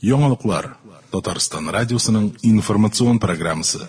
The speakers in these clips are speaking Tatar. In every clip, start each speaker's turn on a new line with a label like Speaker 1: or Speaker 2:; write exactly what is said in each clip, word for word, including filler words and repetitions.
Speaker 1: Яңалыклар. Татарстан радиосының информацион программасы.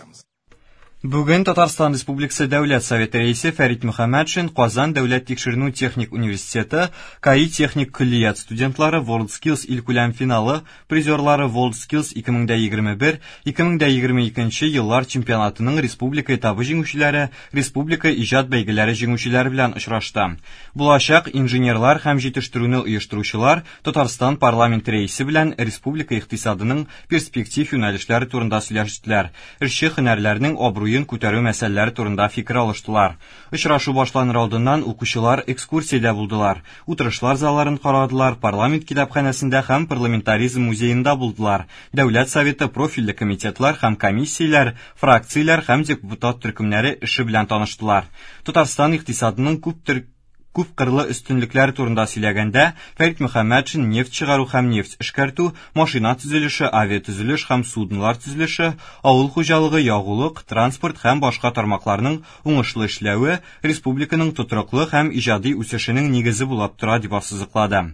Speaker 2: Бүген Татарстан Республикасы Дәүләт Советы рәисе Фәрит Мөхәммәтшин Казан дәүләт тикшеренү техник университеты КАИ техник көллият студентлары WorldSkills илкүләм финалы призерлары WorldSkills ике мең егерме бер - ике мең егерме икенче еллар чемпионатының республика этабы җиңүчеләре, республика иҗат бәйгеләре җиңүчеләре белән очрашты. Булачак инженерлар һәм җитештерүне оештыручылар Татарстан парламент рәисе белән республика икътисадының перспектив юнәлешләре турында сөйләштеләр. Эшче һөнәрләрнең абруен күтәрү мәсьәләләре турында фикер алыштылар. Очрашу башланыр алдыннан укучылар экскурсиядә булдылар. Утырышлар залларын карадылар, парламент китапханәсендә һәм парламентаризм музеенда булдылар. Дәүләт Советы профильле комитетлар һәм комиссияләр, фракцияләр һәм депутат төркемнәре эше белән таныштылар. Татарстан икътисадының күп төр күп кырлы өстенлекләр турында сөйләгәндә, Фәрит Мөхәммәтшин нефть чыгару һәм нефть эшкәртү, машина төзелеше, авиатөзелеш һәм суднолар төзелеше, авыл хуҗалыгы, ягулык, транспорт һәм башка тармакларның уңышлы эшләве республиканың тотрыклы һәм иҗади үсешенең нигезе булып тора дип ассызыклады.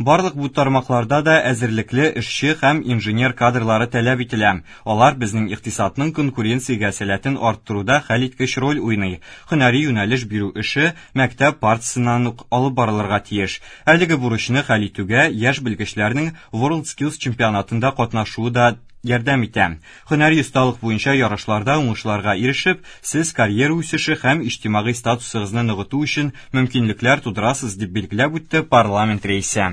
Speaker 2: Барлык бу тармакларда да әзерлекле эшче һәм инженер кадрлары таләп ителә. Алар безнең икътисадның конкуренциягә сәләтен арттыруда хәлиткеч роль уйный. Һөнәри юнәлеш бирү эше мәктәп партасыннан ук алып барылырга тиеш. Әлеге бурычны хәл итүгә яшь белгечләрнең WorldSkills чемпионатында катнашуы да ярдәм итә. Һөнәри осталык буенча ярышларда уңышларга ирешеп, сез карьера үсеше һәм иҗтимагый статусыгызны ныгыту өчен мөмкинлекләр тудырасыз, дип билгеләп үтте парламент рәисе.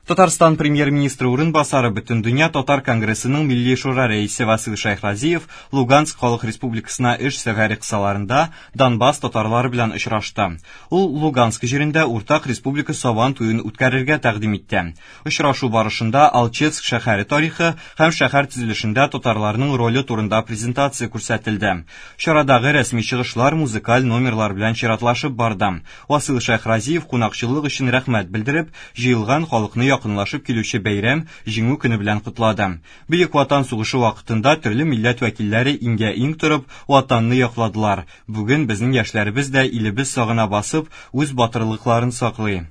Speaker 2: Татарстан премьер-министры урынбасары Бөтендөнья Татар конгрессының Милли шура рәисе Васил Шәйхразиев Луганск халык республикасына эш сәфәре кысаларында Донбасс татарлары белән очрашты. Ул Луганск җирендә уртак республика сабан туен үткәрергә тәкъдим итте. Очрашу барышында Алчевск шәһәре тарихы һәм шәһәр төзелешендә татарларның роле турында презентация күрсәтелде. Чарадагы рәсми чыгышлар музыкаль номерлар белән чиратлашып барды. Васил Шәйхразиев кунакчыллык өчен рәхмәт белдереп, җыелган халыкны якынлашып килүче бәйрәм Җиңү көне белән котлады. Бөек Ватан сугышы вакытында төрле милләт вәкилләре иңгә-иң торып ватанны якладылар. Бүген безнең яшьләребез дә илебез сагына басып, үз батырлыкларын саклый,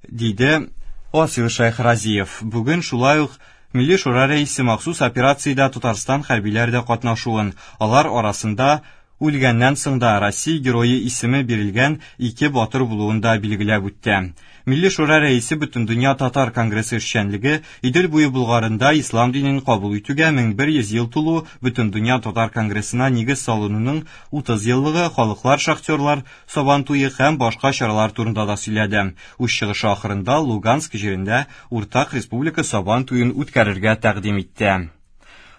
Speaker 2: диде Васил Шәйхразиев. Бүген шулай ук Милли шура рәисе махсус операциядә Татарстан хәрбиләре дә катнашуын, алар арасында үлгәннән соң да Россия герое исеме бирелгән ике батыр булуын да билгеләп үтте. Милли шура рәисе Бөтендөнья Татар конгрессы эшчәнлеге Идел буе Булгарында ислам динен кабул итүгә мең бер йөз ел тулу, Бөтендөнья Татар конгрессына нигез салынуның утыз еллыгы, халыклар шахтерлар сабан туе һәм башка чаралар турында да сөйләде. Үз чыгышы ахырында Луганск җирендә уртак республика сабан туен үткәрергә тәкъдим итте.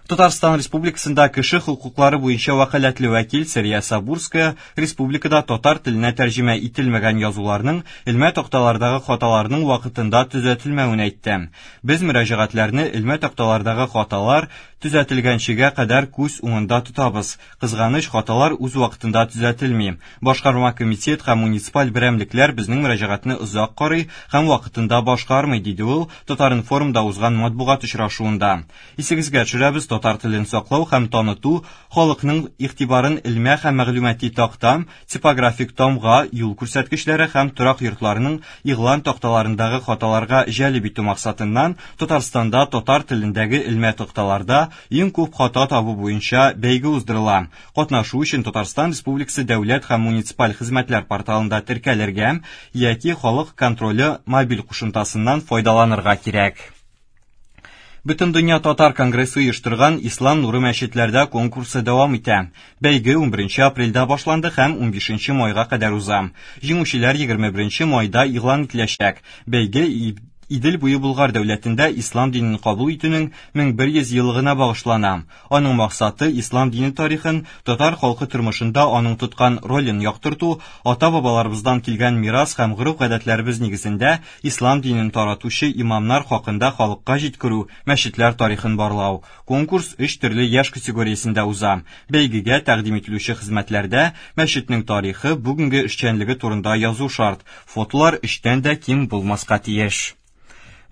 Speaker 2: Татарстан Республикасында кеше хокуклары буенча вәкаләтле вәкил Сәрия Сабурская республикада татар теленә тәрҗемә ителмәгән язуларның элмә такталардагы хаталарның вакытында төзәтелмәвен әйтте. Без мөрәҗәгатьләрне элмә такталардагы хаталар төзәтелгәнчегә кадәр күз уңында тотабыз. Кызганыч, хаталар үз вакытында төзәтелми. Башкарма комитет һәм муниципаль берәмлекләр безнең мөрәҗәгатьне озак карый һәм вакытында башкармый, диде ул Татар-информда узган матбугат очрашуында. Исегезгә төшерәбез, татар телен саклау һәм таныту халыкның игътибарын элмә һәм мәгълүмати такта, типографик тамга, юл күрсәткечләре һәм торак йортларының игълан такталарындагы хаталарга җәлеп итү максатыннан Татарстанда татар телендәге элмә такталарда иң күп хата табу буенча бәйге уздырыла. Катнашу өчен Татарстан Республикасы дәүләт һәм муниципаль хезмәтләр порталында теркәлергә яки халык контроле мобиль кушымтасыннан файдаланырга кирәк. Бөтендөнья Татар конгрессы оештырган Ислам нуры мәчетләрдә конкурсы дәвам итә. Бәйге унберенче апрельдә башланды һәм унбишенче майга кадәр уза. Җиңүчеләр егерме беренче майда игълан ителәчәк. Бәйге Идел буе Булгар дәүләтендә ислам динен кабул итүнең мең бер йөз еллыгына багышлана. Аның максаты ислам дине тарихын, татар халкы тормышында аның тоткан ролен яктырту, ата-бабаларыбыздан килгән мирас һәм гореф-гадәтләребез нигезендә ислам динен таратучы имамнар хакында халыкка җиткерү, мәчетләр тарихын барлау. Конкурс өч төрле яшь категориясендә уза. Бәйгегә тәкъдим ителүче хезмәтләрдә мәчетнең тарихы, бүгенге эшчәнлеге турында язу шарт. Фотолар өчтән дә ким булмаска тиеш.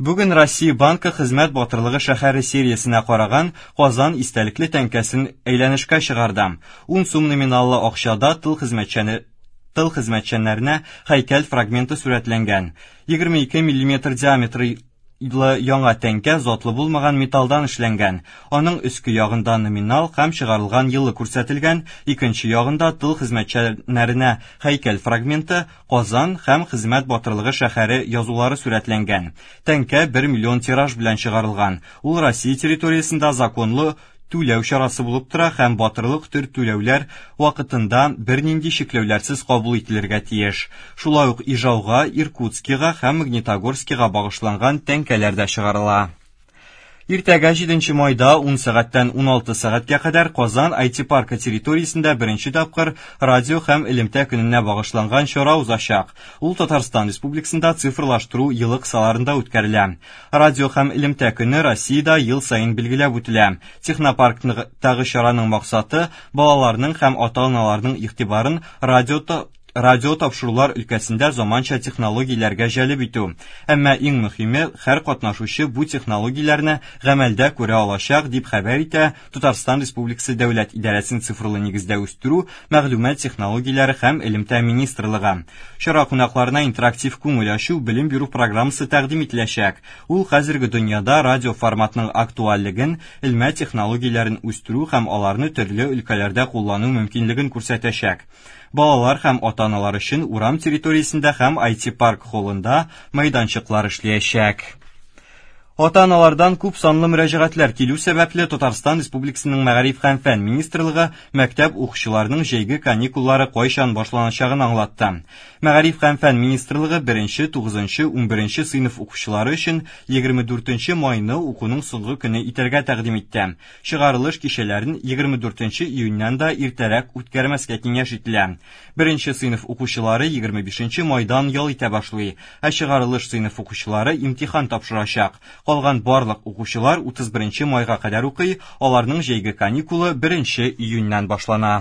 Speaker 2: Бүген Россия Банкы хезмәт батырлыгы шәһәре сериясенә караган Казан истәлекле тәңкәсен әйләнешкә чыгарды. Ун сум номиналлы акчада тыл хезмәтчәне, тыл хезмәтчәннәренә һәйкәл фрагменты сурәтләнгән. Егерме ике миллиметр диаметры Яңа тәңкә затлы булмаган металдан эшләнгән. Аның өске ягында номинал һәм чыгарылган елы күрсәтелгән, икенче ягында тыл хезмәтчәннәренә һәйкәл фрагменты, Казан һәм хезмәт батырлыгы шәһәре язулары сурәтләнгән. Тәңкә бер миллион тираж белән чыгарылган. Ул Россия территориясендә законлы түләү чарасы булып тора һәм батырлык төр түләүләр вакытында бернинди чикләүләрсез кабул ителергә тиеш. Шулай ук Ижауга, Иркутскига һәм Магнитогорскига багышланган тәңкәләр дә чыгарыла. Иртәгә җиденче майда ун сәгатьтән ун алты сәгатькә кадәр Казан ай ти паркы территориясендә беренче тапкыр радио һәм элемтә көненә багышланган чара узачак. Ул Татарстан Республикасында цифрлаштыру елы кысаларында үткәрелә. Радио һәм элемтә көне Россиядә ел саен билгеләп үтелә. Технопарктагы чараның максаты балаларның һәм ата-аналарның игътибарын радио радио тапшырулар өлкәсендә заманча технологияләргә җәлеп итү. Әмма иң мөһиме, һәр катнашучы бу технологияләрне гамәлдә күрә алачак, дип хәбәр итә Татарстан Республикасы Дәүләт идарәсен цифрлы нигездә үстерү, мәгълүмат технологияләре һәм элемтә министрлыгы. Чара кунакларына интерактив күңел ачу белем бирү программасы тәкъдим ителәчәк. Ул хәзерге дөньяда радио форматының актуальлеген, элмә технологияләрен үстерү һәм аларны төрле өлкәләрдә куллану мөмкинлеген күрсәтәчәк. Балалар һәм ата-аналар өчен урам территориясендә һәм ай ти парк холлында мәйданчыклар эшләячәк. Ата-аналардан күп санлы мөрәҗәгатьләр килү сәбәпле Татарстан Республикасының Мәгариф һәм фән министрлыгы мәктәп укучыларының җәйге каникуллары кайчан башланачагын аңлатты. Мәгариф һәм фән министрлыгы беренче, тугызынчы, унберенче сыйныф укучылары өчен егерме дүртенче майны укуның соңгы көне итәргә тәкъдим итте. Чыгарылыш кичәләрен егерме дүртенче июньнән дә иртәрәк үткәрмәскә киңәш ителә. Беренче сыйныф укучылары егерме бишенче майдан ял итә башлый, ә чыгарылыш сыйныф укучылары имтихан тапшырачак. Калган барлык укучылар утыз беренче майга кадәр укый, аларның җәйге каникулы беренче июньнән башлана.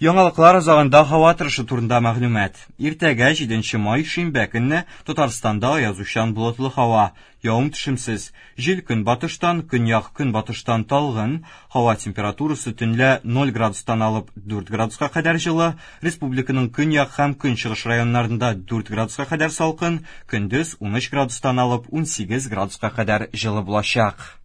Speaker 2: Яңалыклар азагында һава торышы турында мәгълүмат. Иртәгә җиденче май шимбә көнне Татарстанда аязучан болытлы һава, явым-төшемсез. Җил көнбатыштан, көньяк көнбатыштан талгын, һава температурасы төнлә ноль градустан алып дүрт градуска кадәр җылы, республиканың көньяк һәм көнчыгыш районнарында дүрт градуска кадәр салкын, көндез унөч градустан алып унсигез градуска кадәр җылы булачак.